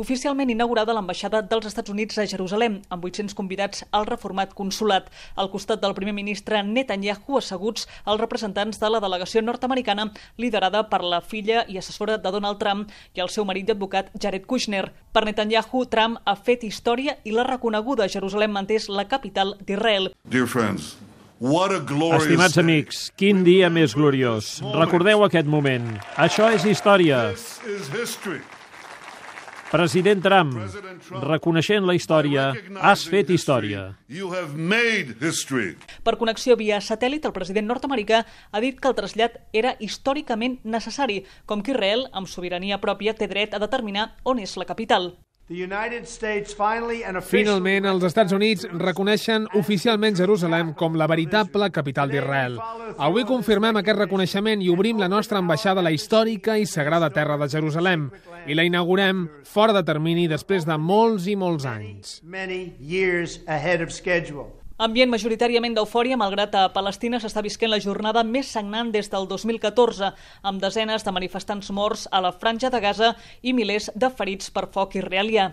oficialment inaugurada l'ambaixada dels Estats Units a Jerusalem, amb 800 convidats al reformat consulat. Al costat del primer ministre Netanyahu asseguts els representants de la delegació nord-americana liderada per la filla i assessora de Donald Trump i el seu marit i advocat Jared Kushner. Per Netanyahu, Trump ha fet història i la reconeguda Jerusalem manté la capital d'Israel. Estimats amics, quin dia més gloriós. Recordeu aquest moment. Això és història. President Trump, reconeixent la història, has fet història. Per connexió via satèl·lit, el president nord-americà ha dit que el trasllat era històricament necessari, com que Israel, amb sobirania pròpia, té dret a determinar on és la capital. Finalment, els Estats Units reconeixen oficialment Jerusalem com la veritable capital d'Israel. Avui confirmem aquest reconeixement i obrim la nostra ambaixada a la històrica i sagrada terra de Jerusalem i la inaugurem fora de termini després de molts i molts anys. Ambient majoritàriament d'eufòria, malgrat a Palestina s'està visquent la jornada més sagnant des del 2014, amb desenes de manifestants morts a la franja de Gaza i milers de ferits per foc israelià.